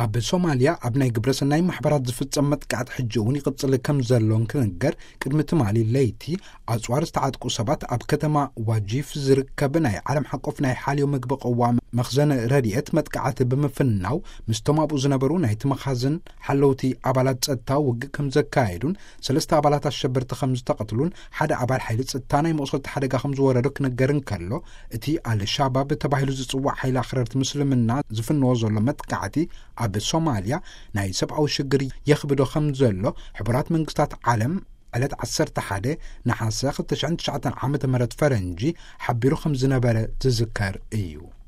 ኣብ ሶማልያ ኣብ ናይ ግብረሰናይ ማሕበራት ዝፍጸም መጥቃዕቲ ሕጂ እውን ይቕጽል ከም ዘሎን ክንገር፣ ቅድሚ ትማሊ ለይቲ ኣጽዋር ዝተዓጥቁ ሰባት ኣብ ከተማ ዋጂፍ ዝርከብ ናይ ዓለም ሓቆፍ ናይ ሓልዮ ምግቢ ቅዋም መኽዘን ረድኤት መጥቃዕቲ ብምፍናው፣ ምስቶም ኣብኡ ዝነበሩ ናይቲ መኻዝን ሓለውቲ ኣባላት ጸጥታ ውግእ ከም ዘካየዱን፣ ሰለስተ ኣባላት ኣሸበርቲ ከም ዝተቐትሉን ሓደ ኣባል ሓይሊ ጸጥታ ናይ መቑሰልቲ ሓደጋ ከም ዝወረዶ ክነገር እንከሎ፣ እቲ ኣልሻባብ ተባሂሉ ዝጽዋዕ ሓይሊ ኣኽረርቲ ምስልምና ዝፍንዎ ዘሎ መጥቃዕቲ ኣብ ሶማልያ ናይ ሰብኣዊ ሽግር የኽብዶ ከም ዘሎ ሕቡራት መንግስታት ዓለም ዕለት ዓሰርተ ሓደ ነሓሰ ክልተ ሽሕን ትሽዓተን ዓመተ ምህረት ፈረንጂ ሓቢሩ ከም ዝነበረ ዝዝከር እዩ።